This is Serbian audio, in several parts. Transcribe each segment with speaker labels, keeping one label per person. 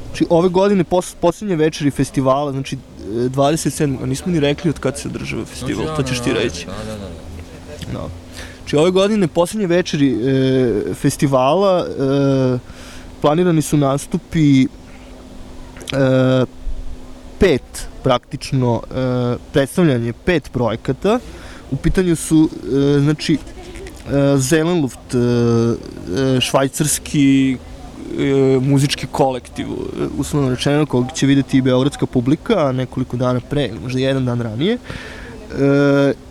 Speaker 1: Znači, ove godine, poslednje večeri festivala, znači 27. a nismo ni rekli od kad se održava festival, to ćeš ti reći. Da. Znači, ove godine, poslednje večeri festivala, planirani su nastupi 5, praktično, predstavljanje 5 projekata. U pitanju su, znači, Zelenluft, švajcarski muzički kolektiv, uslovno rečeno, kog će videti i beogradska publika nekoliko dana pre, možda jedan dan ranije.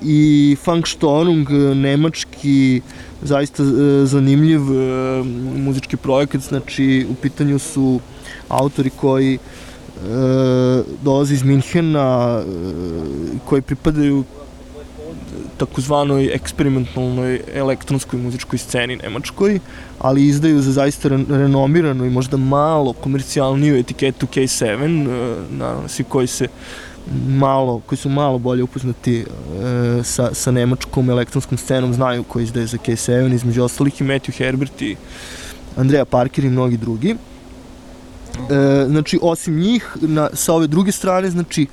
Speaker 1: I Funkstorung, nemački, zaista zanimljiv muzički projekat, znači u pitanju su autori koji dolaze iz Minhena, koji pripadaju takozvanoj eksperimentalnoj elektronskoj muzičkoj sceni nemačkoj, ali izdaju za zaista renomiranu i možda malo komercijalniju etiketu K7, naravno svi koji su malo bolje upoznati sa nemačkom elektronskom scenom znaju ko izdaje za K7, između ostalih i Matthew Herbert i Andrea Parker i mnogi drugi. Znači, osim njih, sa ove druge strane, znači,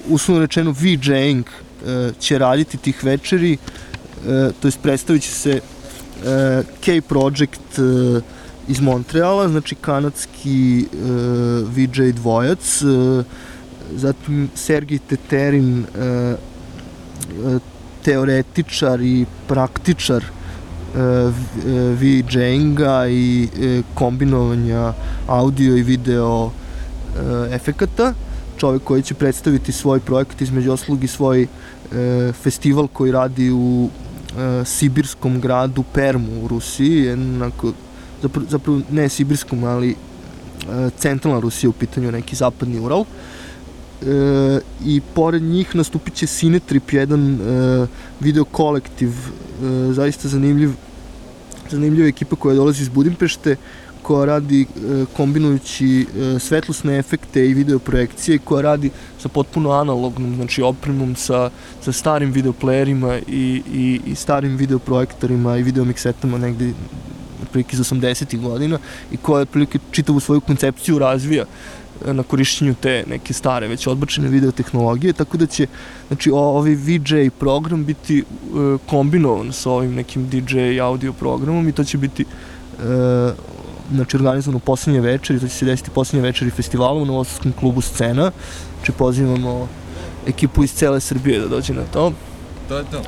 Speaker 1: uslovno rečeno VJing će raditi tih večeri, to jest predstavit će se K-Project iz Montreala, znači kanadski VJ dvojac, zatim Sergej Teterin, teoretičar i praktičar VJinga i kombinovanja audio i video efekata, čovek koji će predstaviti svoj projekat, između ostalog i svoj festival koji radi u sibirskom gradu Permu u Rusiji, zapravo ne sibirskom, ali centralna Rusija u pitanju, neki zapadni Ural. I pored njih nastupit će Cinetrip, jedan video kolektiv, zaista zanimljiva ekipa koja dolazi iz Budimpešte, koja radi kombinujući svetlosne efekte i video projekcije, koja radi sa potpuno analognom, znači opremom, sa starim videoplayerima i starim videoprojektorima i videomiksetama negde otprilike iz 80-ih godina, i koja otprilike čitavu svoju koncepciju razvija na korišćenju te neke stare, već odbačene videotehnologije, tako da će, znači, ovaj VJ program biti kombinovan sa ovim nekim DJ audio programom, i to će biti znači, organizovano poslednje večeri, to će se desiti poslednje večeri festivala u Novosadskom klubu Scena. Znači, pozivamo ekipu iz cele Srbije da dođe na to.
Speaker 2: To je to.